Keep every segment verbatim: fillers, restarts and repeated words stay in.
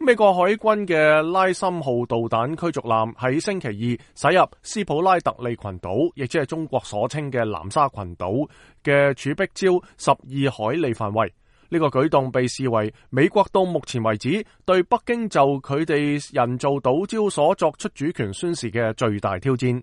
美國海軍嘅拉森號導彈驅逐艦喺星期二駛入斯普拉特利群島，亦即係中國所稱嘅南沙群島嘅儲碧礁十二海里範圍。呢個舉動被視為美國到目前為止對北京就佢哋人造島礁所作出主權宣示嘅最大挑戰。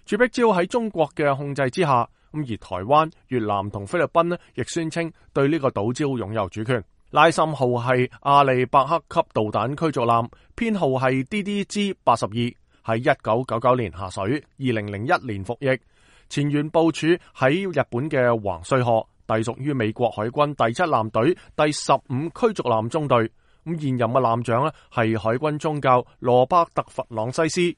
儲碧礁喺中國嘅控制之下，咁而台灣、越南同菲律賓呢，亦宣稱對呢個島礁擁有主權。拉森號係阿利伯克級導彈驅逐艦，編號係 D D G 八十二，喺一九九九年下水，二零零一年服役，前緣部署喺日本嘅橫須賀，隸屬於美國海軍第七艦隊第十五驅逐艦中隊。咁現任嘅艦長呢係海軍中校羅伯特弗朗西斯。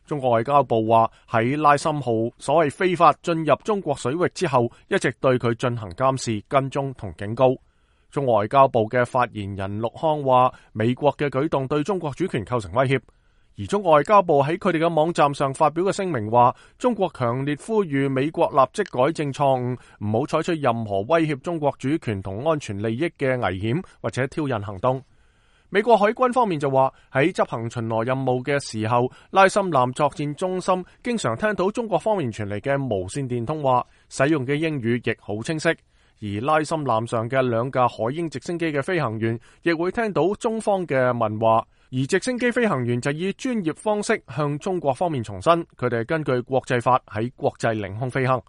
中國外交部話喺拉森號所謂非法進入中國水域之後，一直對佢進行監視、跟蹤同警告。中國外交部嘅發言人陸康話，美國嘅舉動對中國主權構成威脅。而中國外交部喺佢哋嘅網站上發表嘅聲明話，中國強烈呼籲美國立即改正錯誤，唔好採取任何威脅中國主權同安全利益嘅危險或者挑釁行動。美國海軍方面就話，喺執行巡邏任務嘅時候，拉森艦作戰中心經常聽到中國方面傳嚟嘅無線電通話，使用嘅英語亦好清晰。而拉森艦上嘅兩架海鷹直升機嘅飛行員亦會聽到中方嘅問話，而直升機飛行員就以專業方式向中國方面重申，佢哋根據國際法喺國際領空飛行。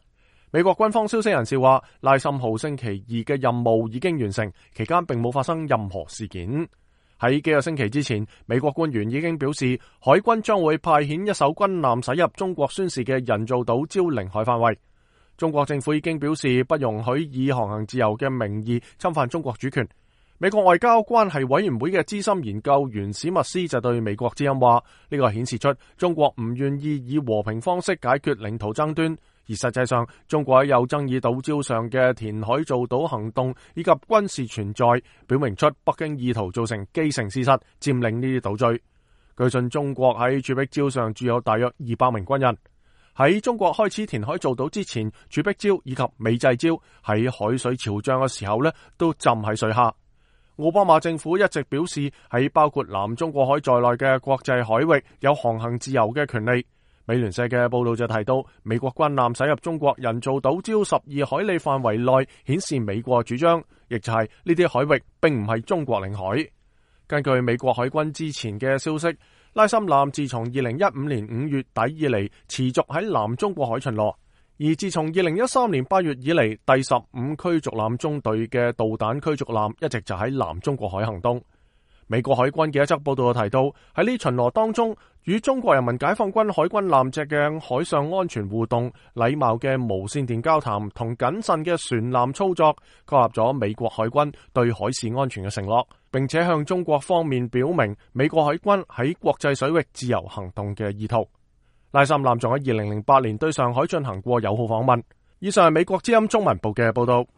美國軍方消息人士話，拉森號星期二嘅任務已經完成，期間並冇發生任何事件。喺幾個星期之前，美國官員已經表示，海軍將會派遣一艘軍艦駛入中國宣示嘅人造島礁領海範圍。中國政府已經表示不容許以航行自由嘅名義侵犯中國主權。美國外交關係委員會嘅資深研究員史密斯就對美國之音話，呢個顯示出中國唔願意以和平方式解決領土爭端，而實際上中國喺有爭議島礁上嘅填海造島行動以及軍事存在，表明出北京意圖造成既成事實，佔領呢啲島嶼。據信中國喺儲碧礁上駐有大約二百名軍人。喺中國開始填海造島之前，儲碧礁以及美濟礁喺海水潮漲嘅時候呢都浸喺水下。奧巴馬政府一直表示，喺包括南中國海在內嘅國際海域有航行自由嘅權利。美聯社嘅報道就提到，美國軍艦駛入中國人造島礁十二海里範圍內，顯示美國主張，亦就係呢啲海域並唔係中國領海。根據美國海軍之前嘅消息，拉森艦自從二零一五年五月底以嚟，持續喺南中國海巡邏，而自從二零一三年八月以嚟，第十五驅逐艦中隊嘅導彈驅逐艦一直就喺南中國海行動。美國海軍嘅一則報道提到，喺呢巡邏當中，與中國人民解放軍海軍艦隻嘅海上安全互動、禮貌嘅無線電交談同謹慎嘅船艦操作，確立咗美國海軍對海事安全嘅承諾，並且向中國方面表明美國海軍喺國際水域自由行動嘅意圖。拉森艦仲喺二零零八年對上海進行過友好訪問。以上係美國之音中文部嘅報道。